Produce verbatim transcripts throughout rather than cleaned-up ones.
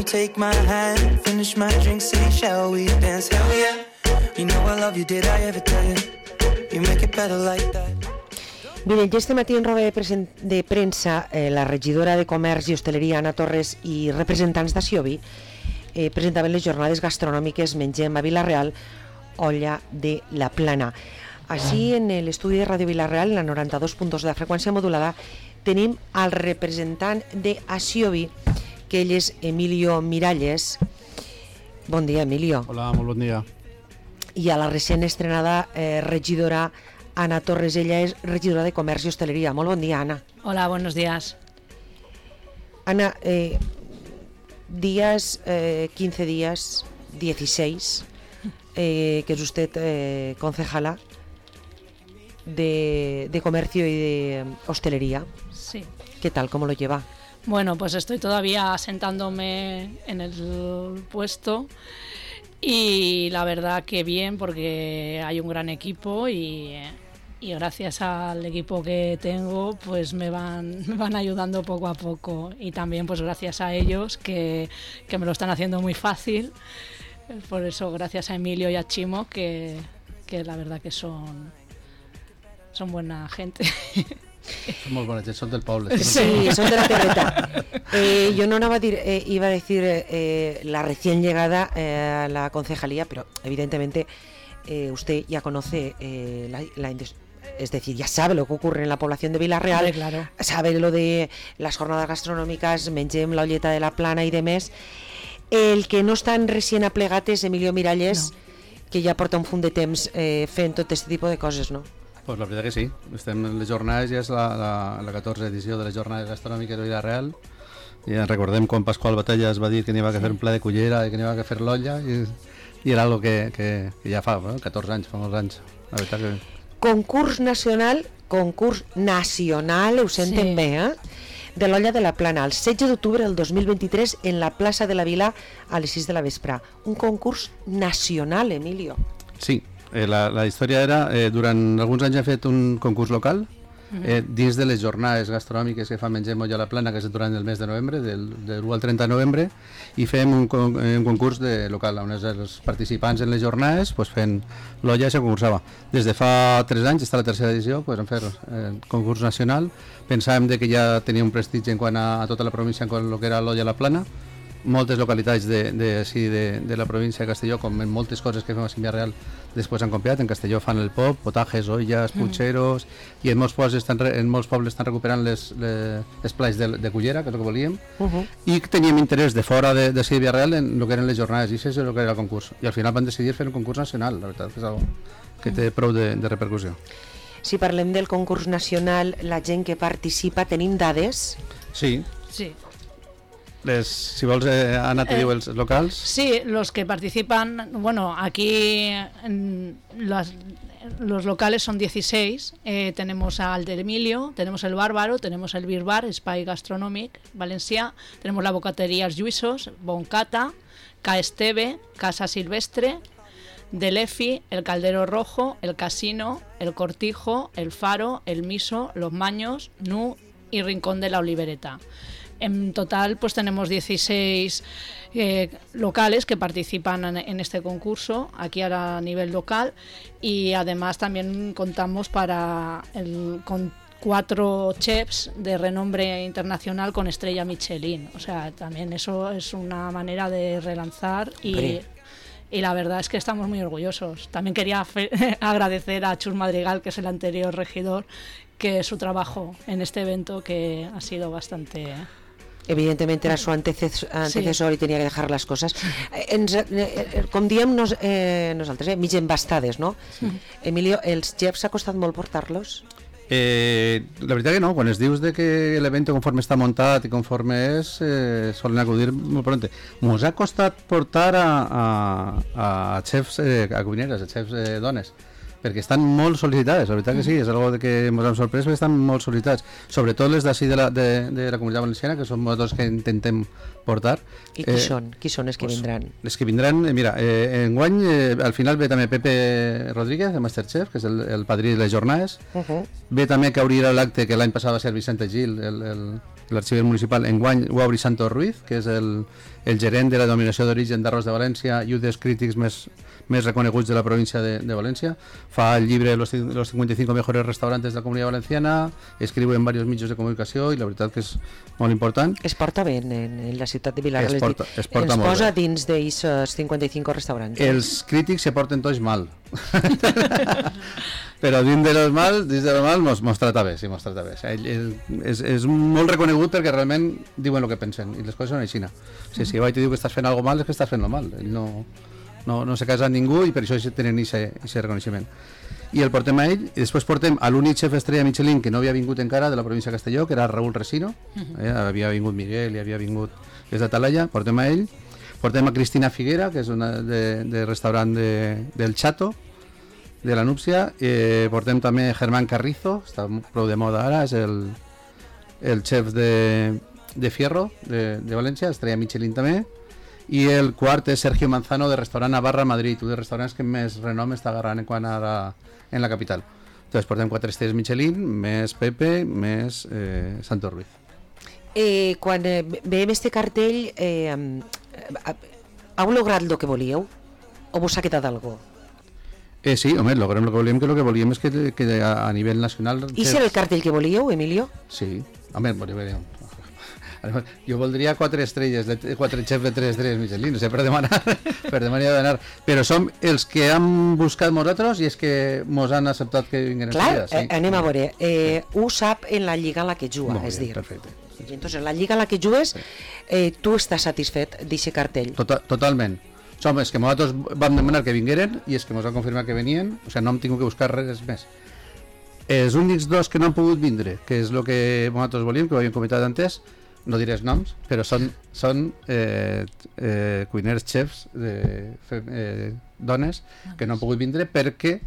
take my hand, finish my drink, say shall we dance, hell yeah. You know I love you, did I ever tell you? You make it better like that. Miren, ja este matí en roda de, presen- de premsa, eh, la regidora de Comerç i Hostaleria, Anna Torres, i representants d'Asiobi eh, presentaven les jornades gastronòmiques Mengem a Vila-real, olla de la Plana. Així, en l'estudi de Ràdio Vila-real, en la noranta-dos punt dos de la freqüència modulada, tenim al representant d'Asiobi, que ell és Emilio Miralles. Bon dia, Emilio. Hola, molt bon dia. I a la recent estrenada eh, regidora Anna Torres, ella és regidora de Comerç i Hostaleria. Molt bon dia, Ana. Hola, buenos días. Ana, eh, días, eh, quince días, dieciséis, eh, que es usted eh, concejala de, de Comercio y de Hostelería. Sí. ¿Qué tal? ¿Cómo lo lleva? Bueno, pues estoy todavía asentándome en el puesto. Y la verdad que bien, porque hay un gran equipo y, y gracias al equipo que tengo pues me van, me van ayudando poco a poco, y también pues gracias a ellos que, que me lo están haciendo muy fácil. Por eso gracias a Emilio y a Chimo, que, que la verdad que son, son buena gente. Són molt bones, són del poble. Sí, son de la terreta. Eh, yo no iba a decir, eh, iba a decir eh, la recién llegada eh, a la concejalía, pero evidentemente eh, usted ya conoce eh, la, la es decir, ya sabe lo que ocurre en la población de Vila-real, Hombre, claro. Sabe lo de las jornadas gastronòmiques, Mengem, la olleta de la Plana y demás. El que no estan recién aplegat és Emilio Miralles, no. Que ja porta un fund de temps eh, fent tot aquest tipus de coses, no? Pues la veritat que sí, estem en les jornades, ja és la, la, la catorze edició de les jornades gastronòmiques de Vila-real. Ja recordem quan Pasqual Batalla es va dir que n'hi va que fer un pla de cullera i que n'hi va que fer l'olla, i, i era algo que, que, que ja fa eh? catorze anys, fa molts anys. La veritat que... Concurs nacional, concurs nacional, ho senten Sí. bé, eh? De l'olla de la Plana, el setze d'octubre del dos mil vint-i-tres en la plaça de la Vila a les sis de la vespre. Un concurs nacional, Emilio. Sí, eh, la, la història era, eh, durant alguns anys ha fet un concurs local, eh, dins de les jornades gastronòmiques que fa Mengem Olla a la Plana, que és durant el mes de novembre, del, de l'u al trenta de novembre, i fem un, con, un concurs de local, on els participants en les jornades pues, fent l'olla i se concursava. Des de fa tres anys, està la tercera edició, pues, en fer eh, concurs nacional. Pensàvem de que ja tenia un prestigi en quant a, a tota la província en quant a lo que era l'olla a la Plana. Moltes localitats de, de, sí, de, de la província de Castelló, com en moltes coses que fem a Vila-real, després han copiat. En Castelló fan el pop, potajes, olles, punxeros, mm. i en molts pobles estan, en molts pobles estan recuperant les, les, les plats de, de cullera, que és el que volíem, uh -huh. i teníem interès de fora de, de Vila-real en el que eren les jornades, i això és el que era el concurs. I al final van decidir fer un concurs nacional, la veritat, que és algo que té prou de, de repercussió. Si parlem del concurs nacional, la gent que participa, tenim dades? Sí. Sí. Les, si vols, eh, Anna, te eh, diu els locals. Sí, los que participan, bueno, aquí en las, los locales son dieciséis, eh, tenemos al de Emilio, tenemos el Bárbaro, tenemos el Bir Bar, Espai Gastronòmic, Valencià, tenemos la Bocatería Els Lluïssos, Boncata, Ca Esteve, Casa Silvestre, Delefi, el Caldero Rojo, el Casino, el Cortijo, el Faro, el Miso, Los Maños, Nu y Rincón de la Olivereta. En total pues tenemos dieciséis eh, locales que participan en, en este concurso aquí a nivel local, y además también contamos para el, con cuatro chefs de renombre internacional con estrella Michelin, o sea, también eso es una manera de relanzar y, y la verdad es que estamos muy orgullosos. También quería fe- agradecer a Chus Madrigal, que es el anterior regidor, que su trabajo en este evento que ha sido bastante... Evidentemente era su antecesor, antecesor sí. I tenia que dejar les coses. Ens, eh, com diem nos, eh, nosaltres, eh, mig embastades, no? Sí. Emilio, els chefs ha costat molt portar-los? Eh, la veritat que no, quan es dius de que l'evento conforme està muntat i conforme és, eh, solen acudir molt prompte. Mos ha costat portar a, a, a xefs, eh, a cuineres, a xefs eh, dones, perquè estan molt sol·licitades, la veritat que sí, és algo de que ens hem sorprès, perquè estan molt sol·licitats, sobretot les d'ací de, la, de, de la Comunitat Valenciana, que són molts que intentem portar. I qui eh, són? Qui són els que pues, vindran? Les que vindran, eh, mira, eh, enguany eh, al final ve també Pepe Rodríguez, de Masterchef, que és el, el padrí de les jornades, uh -huh. ve també que obrirà l'acte, que l'any passat va ser Vicente Gil, el, el, l'arxiver municipal enguany ho obri Santos Ruiz, que és el, el gerent de la denominació d'origen d'arròs de València i un dels crítics més, més reconeguts de la província de, de València. Fa el llibre Los, los cincuenta y cinco mejores restaurantes de la Comunitat Valenciana, escriu en diversos mitjans de comunicació i la veritat que és molt important. Es porta bé en, en la ciutat de Vilareal, es porta, es porta ens molt posa bé. dins d'aquests cinquanta y cinco restaurants. Els crítics se porten tots mal. Però dins de los mal, dins de los mal mos, mos trata bé, sí, mos trata bé. O sigui, ell, ell, és, és molt reconegut perquè realment diuen el que pensen i les coses són així. O sigui, si jo vaig te diu que estàs fent alguna mal, és que estàs fent lo mal. Ell no, no, no se casa amb ningú i per això tenen aquest reconeixement. I el portem a ell, i després portem a l'únic xef estrella Michelin que no havia vingut encara de la província de Castelló, que era Raúl Resino, eh? Havia vingut Miguel i havia vingut des de Talaia, portem a ell. Portem a Cristina Figuera, que és una de, de restaurant de, del Chato, de la Núpcia. Eh, portem també Germán Carrizo, està prou de moda ara, és el, el xef de, de Fierro, de, de València, estrella Michelin també. I el quart és Sergio Manzano, de restaurant Navarra Madrid, un dels restaurants que més renom està agarrant en, quan ara en la capital. Entonces portem quatre estrelles Michelin, més Pepe, més eh, Santos Ruiz. Eh, quan eh, veiem este cartell, eh, heu lograt el que volíeu? O vos ha quedat algo? Eh, sí, home, logrem el que volíem, que el que volíem és que, que a, a nivell nacional... I si era el cartell que volíeu, Emilio? Sí, home, volíem... Jo voldria quatre estrelles, quatre xefs de tres estrelles Michelin, no sé, per demanar, per demanar d'anar. Però som els que hem buscat nosaltres i és que mos han acceptat que vinguin Clar, estrelles. Sí. eh, anem a veure. Eh, ho sap en la lliga en la que juga, Molt és bé, dir. perfecte. I entonces, en la lliga en la que jugues, eh, tu estàs satisfet d'aquest cartell? Tota, totalment. Som els que nosaltres vam demanar que vingueren i els que mos han confirmat que venien, o sigui, no hem tingut que buscar res més. Els únics dos que no han pogut vindre, que és el que nosaltres volíem, que ho havíem comentat antes, no diré els noms, però són, són eh, eh, cuiners, xefs, de, eh, dones, que no han pogut vindre perquè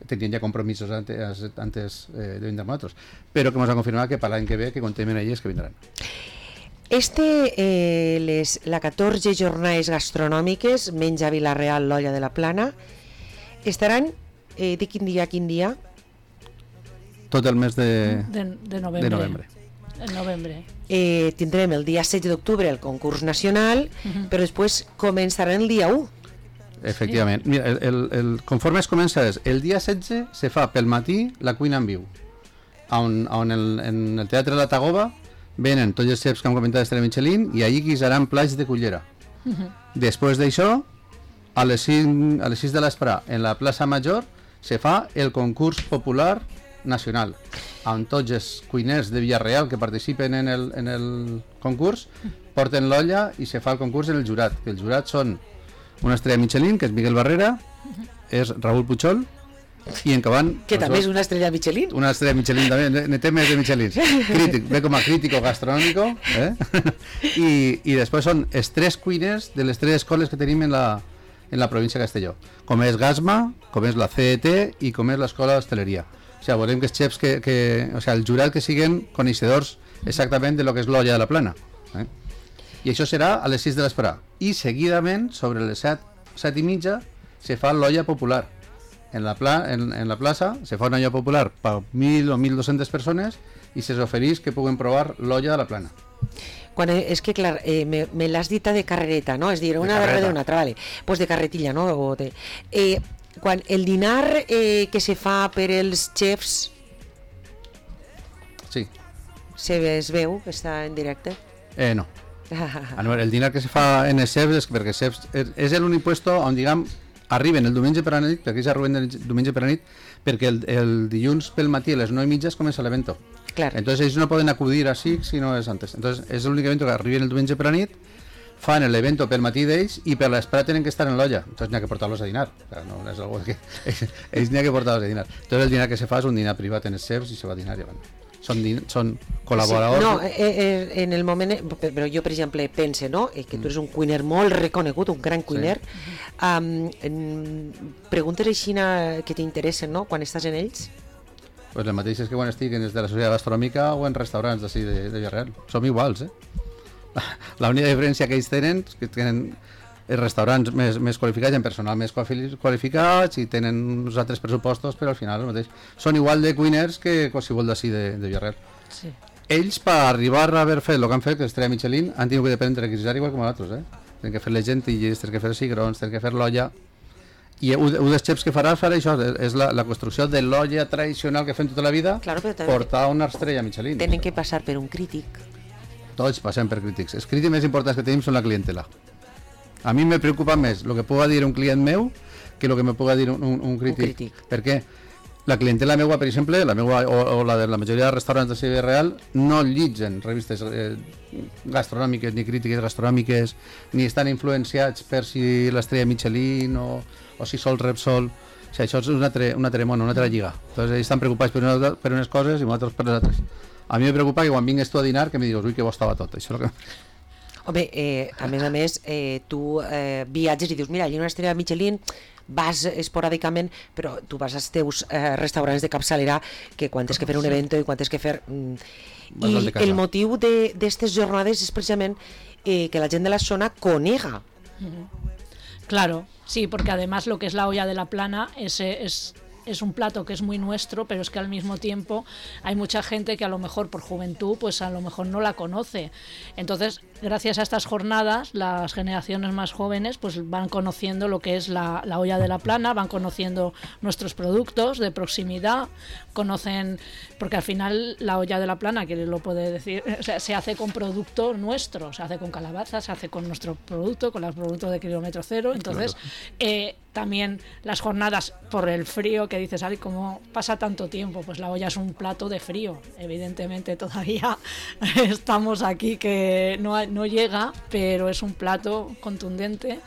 tenien ja compromisos antes, antes eh, de vindre amb nosaltres, però que ens han confirmat que per l'any que ve, que contem elles, que vindran. Este, eh, les, la catorze jornades gastronòmiques, menja Vila-real, l'Olla de la Plana, estaran, eh, de quin dia a quin dia? Tot el mes de, de, de novembre. de novembre. En novembre. Eh, tindrem el dia setze d'octubre el concurs nacional, uh-huh. però després començarà el dia u. Efectivament. Mira, el, el, el, conforme es comença és, el dia setze se fa pel matí la cuina en viu, on, on el, en el Teatre de la Tagoba venen tots els xefs que hem comentat d'Estrella Michelin i allí guisaran plats de cullera. Uh-huh. Després d'això, a les cinc, a les sis de l'esprà, en la plaça Major, se fa el concurs popular nacional, amb tots els cuiners de Villarreal que participen en el, en el concurs, porten l'olla i se fa el concurs en el jurat. El jurat són una estrella Michelin, que és Miguel Barrera, és Raúl Puchol, i en Caban... Que també és una estrella Michelin. Una estrella Michelin també, ne té més de Michelin. Crític, ve com a crítico gastronòmico, eh? I, i després són els tres cuiners de les tres escoles que tenim en la, en la província de Castelló, com és Gasma, com és la C E T i com és l'escola d'hostaleria. O sigui, volem que els xefs, que, que, o sigui, el jurat que siguin coneixedors exactament de lo que és l'Olla de la Plana. Eh? I això serà a les sis de l'esprà. I seguidament, sobre les set, set i mitja, se fa l'olla popular. En la, pla, en, en la plaça se fa una olla popular per mil o mil dos-centes persones i se s'ofereix que puguen provar l'olla de la Plana. Quan, és que clar, eh, me, me l'has dita de carrereta, no? És dir, una darrere d'una altra, vale. Pues de carretilla, no? O de, eh, quan el dinar eh, que se fa per els xefs, sí, se es veu que està en directe? Eh, no. Ah, no, el dinar que se fa en els chefs és perquè els chefs és l'únic puesto on, diguem, arriben el diumenge per a la nit, perquè ells arriben el diumenge per a la nit, perquè el, el dilluns pel matí a les nou i mitja comença l'evento. Claro. Entonces ells no poden acudir així si no és antes. Entonces és l'únic evento que arriben el diumenge per a la nit, fan l'evento pel matí d'ells i per l'esperar tenen que estar en l'olla. Entonces n'hi ha que portar-los a dinar. O sea, no és algo que... ells n'hi ha que portar-los a dinar. Entonces el dinar que se fa és un dinar privat en els chefs i se va a dinar i van. Són, són col·laboradors... Sí, no, eh, eh, en el moment... Però jo, per exemple, pense, no?, eh, que tu eres un cuiner molt reconegut, un gran cuiner. Sí. Um, preguntes així que t'interessen, no?, quan estàs en ells? Pues el mateix és que quan estic en des de la societat gastronòmica o en restaurants d'ací de, de Villarreal. Som iguals, eh? L'única diferència que ells tenen és que tenen els restaurants més, més qualificats, en personal més qualificats i tenen uns altres pressupostos, però al final el mateix. Són igual de cuiners que qualsevol d'ací de, de Villarreal. Sí. ells, per arribar a haver fet el que han fet, que l'estrella Michelin, han tingut que dependre de requisitar igual com nosaltres, eh? Tenen que fer les gentilles, tenen que fer cigrons, tenen que fer l'olla. I un dels xefs que farà farà això, és la, la construcció de l'olla tradicional que fem tota la vida, claro, portar una estrella Michelin. Tenen que passar per un crític. Tots passem per crítics. Els crítics més importants que tenim són la clientela. A mi me preocupa més el que puga dir un client meu que el que me puga dir un, un, un crític. Un crític. Perquè la clientela meua, per exemple, la meua, o, o la de la majoria de restaurants de Sevilla Real, no llitgen revistes eh, gastronòmiques ni crítiques gastronòmiques, ni estan influenciats per si l'estrella Michelin o, o si sol Repsol. O sigui, això és un altre, un altre món, una altra lliga. Entonces, ells estan preocupats per, una, per unes coses i nosaltres per les altres. A mi me preocupa que quan vingues tu a dinar que me digues, ui, que bo estava tot. Això és el que... Home, eh, a més a més, eh, tu eh, viatges i dius, mira, hi ha una estrella Michelin, vas esporàdicament, però tu vas als teus eh, restaurants de capçalera que quan tens que fer un evento i quan tens que fer... Mm, i el motiu d'aquestes jornades és precisament eh, que la gent de la zona conega. Mm-hmm. Claro, sí, porque además lo que es la olla de la plana es... es... es un plato que es muy nuestro, pero es que al mismo tiempo hay mucha gente que a lo mejor por juventud pues a lo mejor no la conoce. Entonces, gracias a estas jornadas, las generaciones más jóvenes pues van conociendo lo que es la, la olla de la plana, van conociendo nuestros productos de proximidad, conocen, porque al final la olla de la plana, que lo puede decir, o sea, se hace con producto nuestro, se hace con calabaza, se hace con nuestro producto, con los productos de kilómetro cero. Entonces, eh, también las jornadas por el frío, que dices, ay, ¿cómo pasa tanto tiempo? Pues la olla es un plato de frío. Evidentemente todavía estamos aquí que no, no llega, pero es un plato contundente.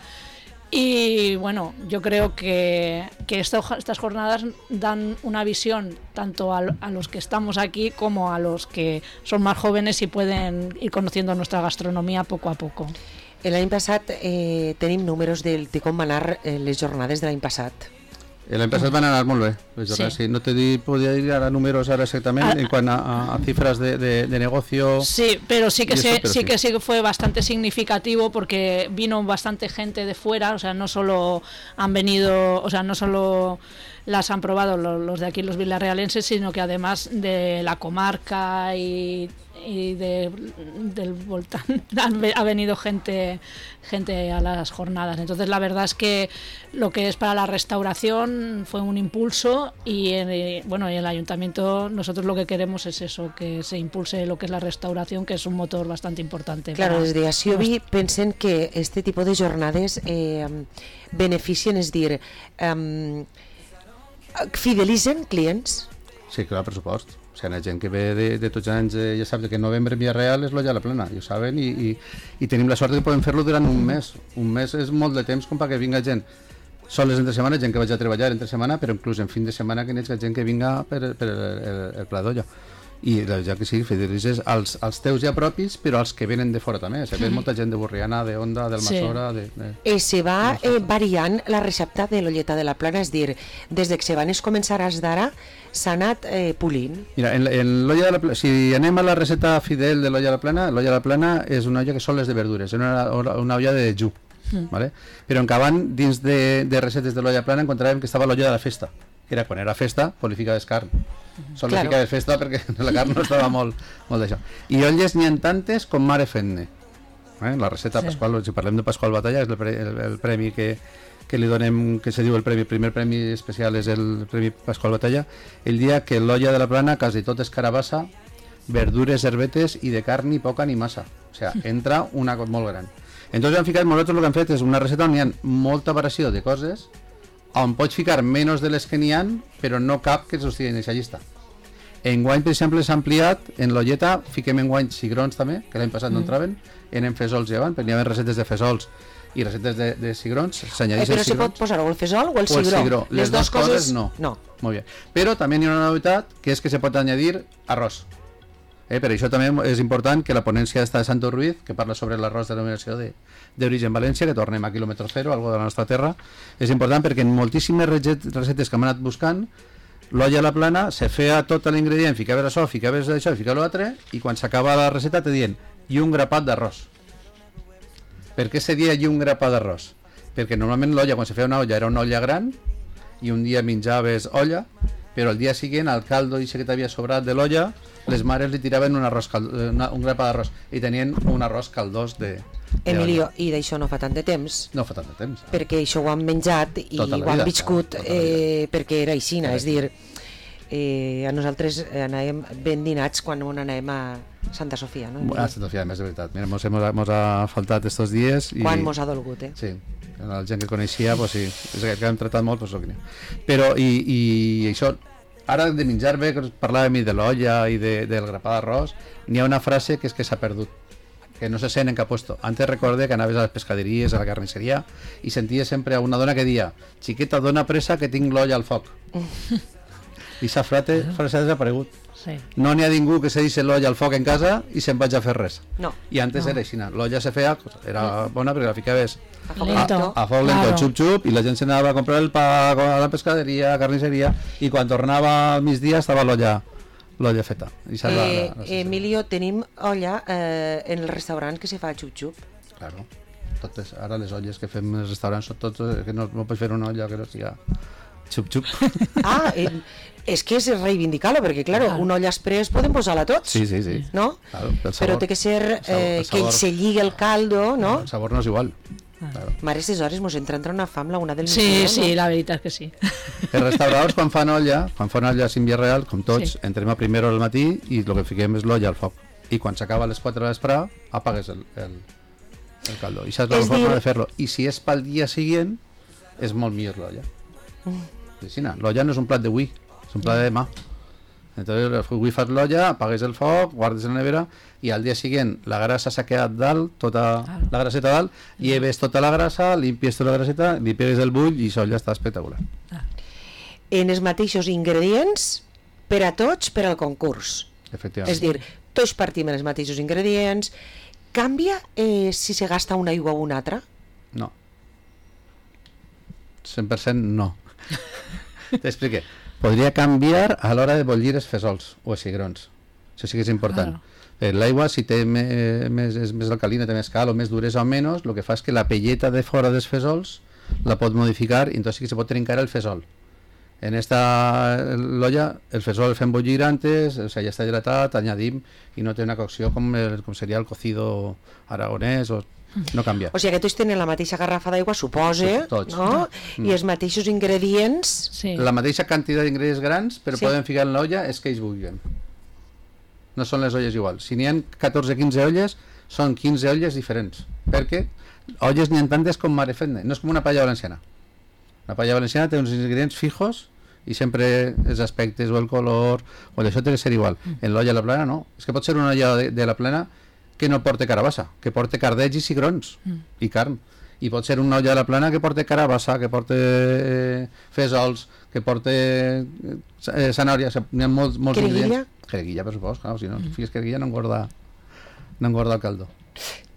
Y bueno, yo creo que, que esto, estas jornadas dan una visión tanto a, a los que estamos aquí como a los que son más jóvenes y pueden ir conociendo nuestra gastronomía poco a poco. L'any passat eh, tenim números de, de com van anar eh, les jornades de l'any passat. L'any passat van anar molt bé, les jornades, sí. Sí. No te di, podía ir a números ahora exactamente ah, en cuanto a, a cifras de, de, de negocio. Sí, pero sí que eso, se, pero sí, sí que sí que fue bastante significativo porque vino bastante gente de fuera, o sea, no solo han venido, o sea, no solo las han probado los, los de aquí, los vilarrealenses, sino que además de la comarca y y de, del voltán ha venido gente gente a las jornadas. Entonces la verdad es que lo que es para la restauración fue un impulso y eh, bueno, en el ayuntamiento nosotros lo que queremos es eso, que se impulse lo que es la restauración, que es un motor bastante importante. Claro, desde Asiobi pensen que este tipo de jornades eh, beneficien, és dir, eh, fidelitzen clients? Sí, clar, per supost. O sigui, la gent que ve de, de tots els anys eh, ja sap que novembre en Villarreal és l'olla a la plana, ja ho saben, i, i, i tenim la sort que podem fer-lo durant un mes. Un mes és molt de temps com perquè vinga gent soles entre setmana, gent que vaig a treballar entre setmana, però inclús en fin de setmana que n'hi ha gent que vinga per, per el, el, el pla d'olla. I ja que sí, fidelitzes als, als teus ja propis, però als que venen de fora també. O sigui, ve molta gent de Borriana, de Onda, del Masora... Sí. De, de... Eh, se va eh, variant la recepta de l'olleta de la plana, és dir, des que se van començar a d'ara, s'ha anat eh, polint. Mira, en, en l'olla de la plana, si anem a la recepta fidel de l'olla de la plana, l'olla de la plana és una olla que són les de verdures, és una, una olla de dejú, mm. ¿vale? Però en acabant, dins de, de recetes de l'olla plana, encontràvem que estava l'olla de la festa, que era quan era festa, polificaves carn. Sol claro. Ficaves festa perquè la carn no estava molt, molt d'això. I olles n'hi ha tantes com mare fent-ne. Eh? La recepta sí. Pasqual, si parlem de Pasqual Batalla, és el, pre, el, el premi que, que li donem, que se diu el premi, el primer premi especial és el premi Pasqual Batalla, el dia que l'olla de la plana quasi tot és carabassa, verdures, herbetes i de carn ni poca ni massa. O sigui, entra una cosa molt gran. Entonces han ficat, nosaltres el que hem fet és una recepta on hi ha molta variació de coses, on pots ficar menys de les que n'hi ha, però no cap que s'ho en aquesta llista. Enguany, per exemple, s'ha ampliat, en l'olleta fiquem enguany cigrons també, que l'any passat mm. no entraven, eren fesols llevant, perquè hi havia receptes de fesols i receptes de, de cigrons, s'añadís eh, el cigrons. Però se pot posar o el fesol o el cigró. O el cigró. Les, les dues coses, coses no. no. Molt bé. Però també hi ha una novetat, que és que se pot añadir arròs. Eh, per això també és important que la ponència està de Santo Ruiz, que parla sobre l'arròs de denominació d'origen València, que tornem a quilòmetre zero, algo de la nostra terra, és important perquè en moltíssimes recetes que hem anat buscant, l'olla a la plana se feia tot l'ingredient, ficaves això, ficaves això i ficaves l'altre, i quan s'acaba la receta te diuen i un grapat d'arròs. Per què se dia i un grapat d'arròs? Perquè normalment l'olla, quan se feia una olla, era una olla gran, i un dia menjaves olla, però el dia següent al caldo i que t'havia sobrat de l'olla, les mares li tiraven un, arròs cal... una, un grapa d'arròs i tenien un arròs caldós de, de Emilio, i d'això no fa tant de temps? No fa tant de temps. Perquè això ho han menjat i Tota la ho han vida, viscut tota la eh, perquè era aixina, és dir, eh, a nosaltres anàvem ben dinats quan anàvem a Santa Sofia, no? A Santa Sofia, més de veritat. Mira, mos, mos, mos ha faltat estos dies. I... Quan mos ha dolgut, eh? Sí, la gent que coneixia, pues sí, és que hem tratat molt, pues, no. Però, i, i això, ara de menjar bé, que parlàvem de l'olla i de, del grapà d'arròs, n'hi ha una frase que és que s'ha perdut, que no se sent en cap puesto. Antes recordé que anaves a les pescaderies, a la carnisseria, i senties sempre a una dona que dia: xiqueta, dona pressa que tinc l'olla al foc. I sa frase, frase ha desaparegut. Sí. No n'hi ha ningú que se deixi l'olla al foc en casa i se'n vaig a fer res. No. I antes No. era així, l'olla se feia, era bona perquè la ficaves A foc Lento. lento. a foc lento, Claro. xup xup, i la gent s'anava a comprar el pa a la pescaderia, a la carnisseria, i quan tornava al migdia estava l'olla l'olla feta. I Eh, la, la, la, Emilio, tenim olla eh, en el restaurant que se fa xup-xup. Claro. Totes, ara les olles que fem als restaurants són totes, que no, no pots fer una olla que no siga xup xup. Ah, eh, és que és reivindicar-lo, perquè, claro, Claro. una olla express podem posar-la tots, Sí, sí, sí. no? Claro, el sabor, Però té que ser el sabor, eh, el que sabor. se lligui el caldo, no? El sabor no és igual. Claro. Mare, aquestes hores mos entra entre una fam la una del Sí, migdia, sí, no? la veritat és que sí. Els restauradors quan fan olla, quan fan olla sin via real, com tots, Sí. entrem a primera hora al matí i el que fiquem és l'olla al foc. I quan s'acaba a les quatre de l'esprà, apagues el, el, el caldo. I saps la És forma dir- de fer-lo. I si és pel dia següent, és molt millor l'olla. Mm. L'olla no és un plat d'avui, és un plat de demà. Entonces, avui fas l'olla, apagues el foc, guardes en la nevera i al dia següent la grasa s'ha quedat dalt, tota Ah. la graseta dalt, lleves tota la grasa, limpies tota la graseta, li pegues el bull i això ja està espectacular. En els mateixos ingredients per a tots per al concurs. Efectivament. És dir, tots partim en els mateixos ingredients. Canvia eh, si se gasta una aigua o una altra? No. cent per cent no. T'explique. Podria canviar a l'hora de bollir els fesols o els cigrons. Això sí que és important. Claro. Eh, L'aigua, si té me, més, és més alcalina, té més cal o més duresa o menys, el que fa és que la pelleta de fora dels fesols la pot modificar i entonces sí que se pot trencar el fesol. En esta l'olla, el fesol el fem bullir antes, o sea, ja està hidratat, añadim i no té una cocció com, el, com seria el cocido aragonès, o no canvia. O sigui que tots tenen la mateixa garrafa d'aigua, supose, Tots. no? I els mateixos ingredients... Sí. La mateixa quantitat d'ingredients grans, però Sí. sí. poden ficar en l'olla és que ells vulguin. No són les olles iguals. Si n'hi ha catorze o quinze olles, són quinze olles diferents. Perquè olles n'hi ha tantes com mare fent. No és com una paella valenciana. La paella valenciana té uns ingredients fijos i sempre els aspectes o el color o això té que ser igual. En l'olla de la plana no. És que pot ser una olla de, de la plana que no porta carabassa, que porta cardells i cigrons Mm. i carn. I pot ser una olla de la plana que porta carabassa, que porta eh, fesols, que porta eh, zanària, n'hi ha molts, molts Creguilla? ingredients. Creguilla, per supost, clar, si no mm. fiques creguilla no engorda, no engorda el caldo.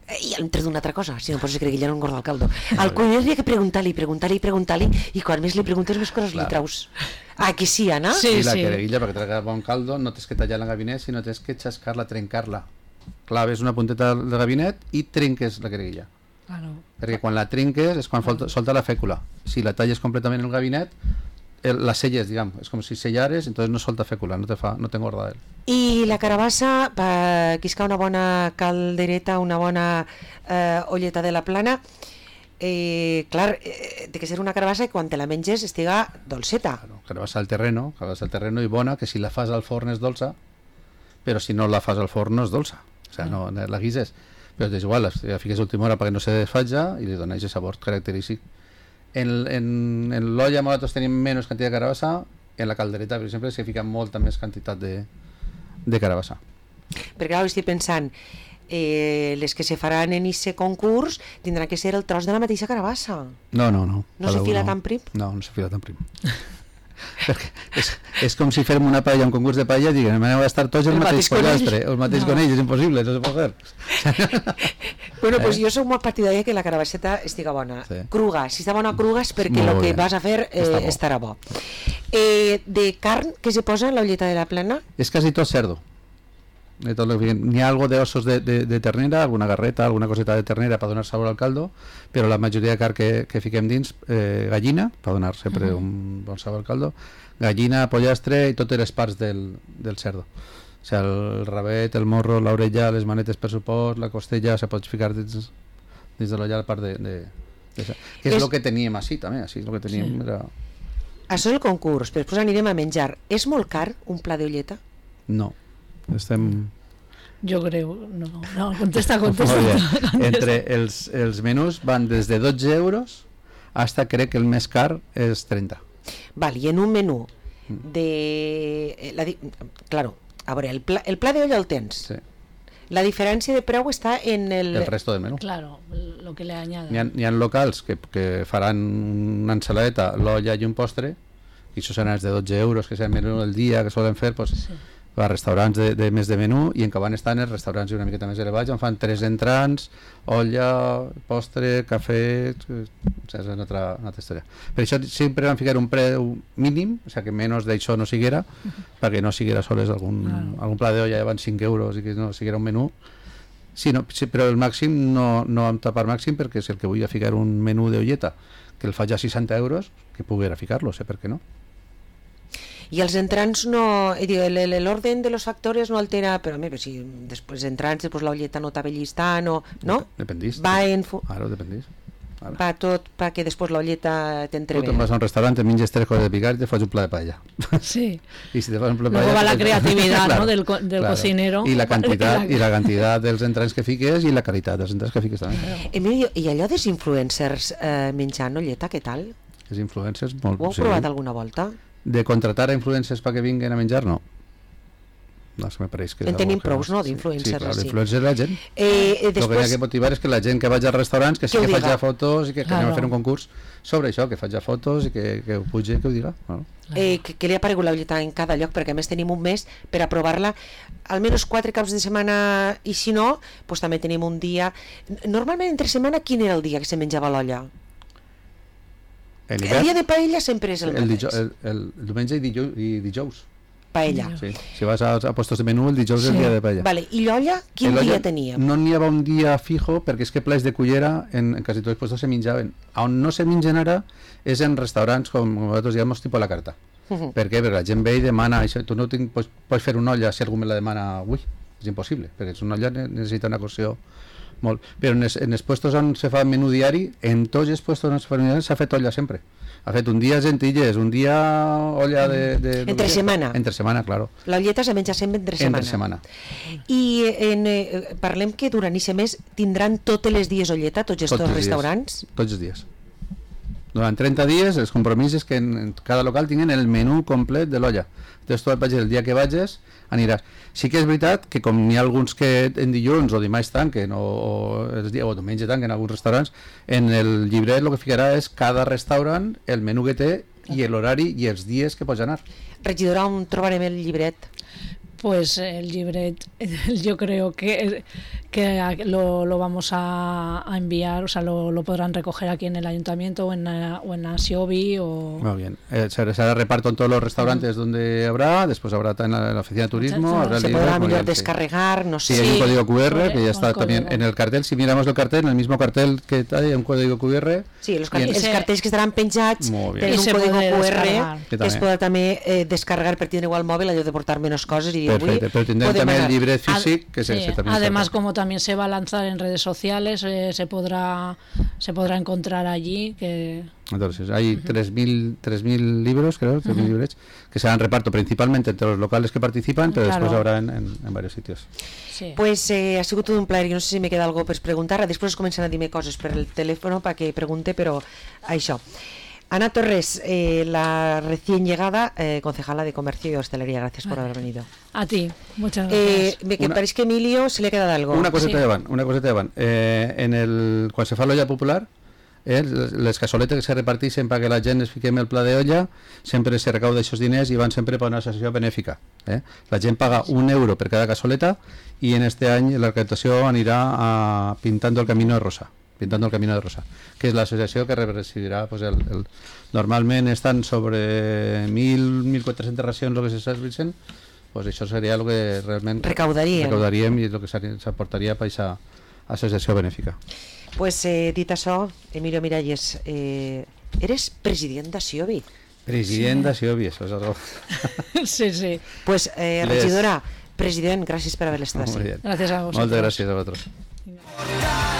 Eh, I hem tret una altra cosa, si no poses creguilla no engorda el caldo. Al cuiner li ha que preguntar-li, preguntar-li, preguntar-li, i quan més li preguntes més coses Clar. li traus. Ah, que sí, Anna? Sí, I la sí. creguilla, perquè traiga bon caldo, no tens que tallar el gabinet, sinó tens que xascar-la, trencar-la. Claves una punteta del gabinet i trenques la creguilla. Claro. Perquè quan la trinques és quan solta, solta la fècula. Si la talles completament el gabinet, el, la selles, diguem, és com si sellares, entonces no solta fècula, no te fa, no t'engorda el. I la carabassa, per quiscar una bona caldereta, una bona eh, olleta de la plana, eh, clar, eh, té que ser una carabassa que quan te la menges estiga dolceta. Claro, carabassa al terreno, carabassa al terreno i bona, que si la fas al forn és dolça, però si no la fas al forn no és dolça. O sigui, no, no la guises. Però és igual, la fiques a última hora perquè no se desfatja i li dona aquest sabor característic. En, en, en l'olla nosaltres tenim menys quantitat de carabassa, en la caldereta, per exemple, s'hi fica molta més quantitat de, de carabassa. Perquè ara estic pensant, eh, les que se faran en aquest concurs tindran que ser el tros de la mateixa carabassa. No, no, no. No cada se fila uno- tan prim? No, no se fila tan prim. Perquè és, és com si fem una paella, un concurs de paella, i diguem, aneu a estar tots el, El mateix mateix conill. pollastre, el mateix No. conill, és impossible, no se pot fer. Bueno, Eh? pues jo soc molt partidària que la carabasseta estiga bona. Sí. Cruga, si està bona cruga és perquè Molt el que bé. vas a fer eh, Està bo. estarà bo. Eh, de carn que se posa en la olleta de la plana? És quasi tot cerdo. de tot lo que fiquen. N'hi ha algo de ossos de, de, de ternera, alguna garreta, alguna coseta de ternera per donar sabor al caldo, però la majoria de carn que, que fiquem dins, eh, gallina, per donar sempre uh -huh. un bon sabor al caldo, gallina, pollastre i totes les parts del, del cerdo. O sigui, el rabet, el morro, l'orella, les manetes per supost, la costella, se pot ficar dins, dins de l'olla la part de... de, de que és el que teníem així també, així és el que teníem. Sí. Era... Això és el concurs, però després anirem a menjar. És molt car un pla d'olleta? No, estem... Jo crec, no, no, contesta, contesta. contesta. Entre els, els menús van des de dotze euros hasta crec que el més car és trenta. Val, i en un menú de... La di... Claro, a veure, el pla, el pla d'olla el tens. Sí. La diferència de preu està en el... El resto del menú. Claro, lo que le añaden. N'hi ha, n'hi ha locals que, que faran una ensaladeta, l'olla i un postre, i això seran els de dotze euros, que és el menú del dia que solen fer, pues, sí. a restaurants de, de més de menú, i en què van estar els restaurants una miqueta més elevats, on fan tres entrants, olla, postre, cafè, és una altra, una altra història. Per això sempre van ficar un preu mínim, o sigui que menys d'això no siguera, uh -huh. perquè no siguera sols algun, ah. algun pla d'olla van cinc euros i que no siguera un menú. Sí, no, sí, però el màxim no, no vam tapar màxim, perquè si el que vull ficar un menú d'olleta que el faig a seixanta euros, que poguera ficar-lo, sé per què no. I els entrants no... L'orden de los factores no altera, però a mi, si després entrants, després la olleta no t'avellis tant, o, no? Dependís. Va en... Ara dependís. Ara. Va tot perquè després l'olleta t'entre bé. Tu te'n vas a un restaurant, te menges tres coses de picar i te fas un pla de paella. Sí. I si te fas un pla de paella... Luego va la creatividad, claro, ¿no? del, co del claro. cocinero. I la quantitat, i la quantitat dels entrants que fiques i la qualitat dels entrants que fiques també. Emilio, i allò dels influencers eh, menjant olleta, què tal? Els influencers, molt... Ho heu sí. provat alguna volta? De contratar a influencers perquè vinguin a menjar, no. No, me pareix que... En tenim prous, no, d'influencers? Sí, clar, l'influencer és la gent. Eh, eh, després... El que hi ha que motivar és que la gent que vaig als restaurants, que sí que, que faig ja fotos i que, que claro. anem a fer un concurs sobre això, que faig ja fotos i que, que ho pugi, que ho diga. Bueno. Eh, que, que li ha aparegut la olleta en cada lloc, perquè a més tenim un mes per a provar-la, almenys quatre caps de setmana, i si no, pues també tenim un dia... Normalment entre setmana, quin era el dia que se menjava l'olla? El, el dia de paella sempre és el, el mateix. El, el, el diumenge i dijous. I dijous. Paella. Sí. Si vas a, a puestos de menú, el dijous sí. és el dia de paella. Vale. I l'olla, quin dia teníem? No n'hi havia un dia fijo, perquè és que plats de cullera en, en quasi tots els puestos se menjaven. On no se mengen ara és en restaurants, com nosaltres diem, tipus la carta. Uh -huh. Per què? Perquè la gent ve i demana, això, tu no tinc, pots, pots fer una olla si algú me la demana avui. És impossible, perquè és una olla necessita una cocció molt. Però en els, en els puestos on se fa menú diari, en tots els puestos on se fa menú diari s'ha fet olla sempre. Ha fet un dia gentilles, un dia olla de... de entre de, setmana. Entre setmana, claro. La olleta se menja sempre entre setmana. Entre setmana. I en, eh, parlem que durant aquest mes tindran tots els dies olleta, tots els tots restaurants? Dies. Tots els dies. Durant trenta dies els compromisos que en, en cada local tinguin el menú complet de l'olla. Entonces tu vagis el dia que vagis aniràs. Sí que és veritat que com n'hi ha alguns que en dilluns o dimarts tanquen o, o, els dies, o diumenge tanquen en alguns restaurants, en el llibret el que ficarà és cada restaurant, el menú que té i l'horari i els dies que pots anar. Regidora, on trobarem el llibret? Pues el libret yo creo que, que lo, lo vamos a, a enviar, o sea, lo, lo podrán recoger aquí en el ayuntamiento o en, o en Asiobi o... Muy bien, eh, se, se hará reparto en todos los restaurantes uh-huh. donde habrá, después habrá en la, en la oficina de turismo, se, habrá se libros, podrá mejor bien, descargar, sí. no sé. Sí, hay un código cu erre Corre, que ya está también código. en el cartel, si miramos el cartel, en el mismo cartel que hay un código cu erre. Sí, los, car en... els cartells que estaran penjats tenen un código cu erre que, que es podrà també eh, descarregar per tindre igual mòbil, allò de portar menos cosas y perfecte, però tindrem també el llibret físic que se, sí. se también además está. Como también se va a lanzar en redes sociales eh, se podrá se podrá encontrar allí que entonces hay uh-huh. tres mil libros creo tres mil uh-huh. librets que se dan reparto principalmente entre los locales que participan pero claro. después habrá en, en, en varios sitios. Sí. Pues eh, ha sigut tot un plaer, jo no sé si me queda algo per preguntar, després comencen a dir-me coses per el telèfon perquè pregunte, però això. Ana Torres, eh, la recién llegada eh, concejala de Comercio y Hostelería, gracias por haber venido. A ti, muchas gracias. Eh, me una, parece que Emilio se le ha quedado algo. Una coseta sí. de van, una coseta de van. Eh, en el, quan se fa l'olla popular, eh, les cassoletes que se reparteixen perquè la gent es fiquem el pla d'olla, sempre se recauda aquests diners i van sempre per una associació benèfica. Eh? La gent paga un euro per cada cassoleta i en este any la recaptació anirà a Pintando el Camino de Rosa. Pintando el Camino de Rosa, que és l'associació que presidirà pues, el, el... normalment estan sobre mil, mil quatre-centes racions el que se serveixen pues això seria el que realment recaudaríem, recaudaríem i el que s'aportaria per aquesta associació benèfica. Pues eh, dit això, Emilio Miralles, eh, eres president d'Asiobi. President sí. d'Asiobi, això és algo... Sí, sí. Pues eh, regidora, president, gràcies per haver estat així. Gràcies a vosaltres. Moltes gràcies a vosaltres.